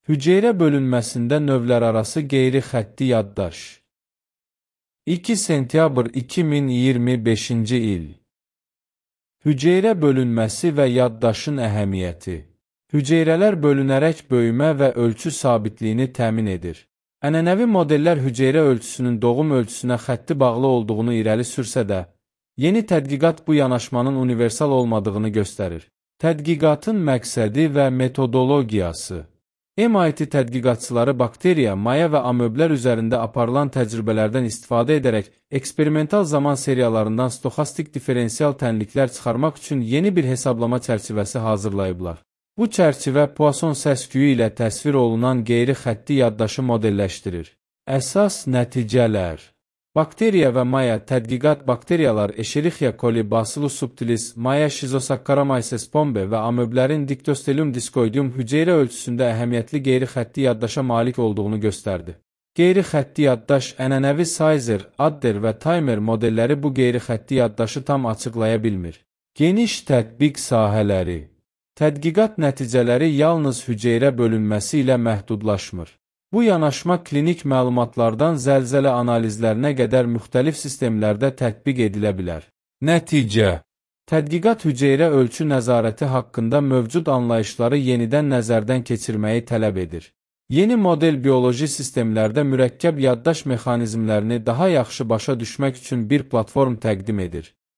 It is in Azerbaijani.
Hüceyrə bölünməsində növlərarası qeyri-xətti yaddaş. 2 sentyabr 2025-ci il. Hüceyrə bölünməsi və yaddaşın əhəmiyyəti. Hüceyrələr bölünərək böyümə və ölçü sabitliyini təmin edir. Ənənəvi modellər hüceyrə ölçüsünün doğum ölçüsünə xətti bağlı olduğunu irəli sürsə də, yeni tədqiqat bu yanaşmanın universal olmadığını göstərir. Tədqiqatın məqsədi və metodologiyası. MIT tədqiqatçıları bakteriya, maya və amöblər üzərində aparılan təcrübələrdən istifadə edərək eksperimental zaman seriyalarından stoxastik diferensial tənliklər çıxarmaq üçün yeni bir hesablama çərçivəsi hazırlayıblar. Bu çərçivə Poisson səs-küyü ilə təsvir olunan qeyri-xətti yaddaşı modelləşdirir. Əsas nəticələr. Bakteriya və maya tədqiqat bakteriyalar Escherichia coli, Bacillus subtilis, maya Schizosaccharomyces pombe və amöblərin Dictyostelium discoideum hüceyrə ölçüsündə əhəmiyyətli qeyri-xətti yaddaşa malik olduğunu göstərdi. Qeyri-xətti yaddaş, ənənəvi Sizer, Adder və Timer modelləri bu qeyri-xətti yaddaşı tam açıqlaya bilmir. Geniş tətbiq sahələri. Tədqiqat nəticələri yalnız hüceyrə bölünməsi ilə məhdudlaşmır. Bu yanaşma klinik məlumatlardan zəlzələ analizlərinə qədər müxtəlif sistemlərdə tətbiq edilə bilər. Nəticə. Tədqiqat hüceyrə ölçü nəzarəti haqqında mövcud anlayışları yenidən nəzərdən keçirməyi tələb edir. Yeni model bioloji sistemlərdə mürəkkəb yaddaş mexanizmlərini daha yaxşı başa düşmək üçün bir platform təqdim edir.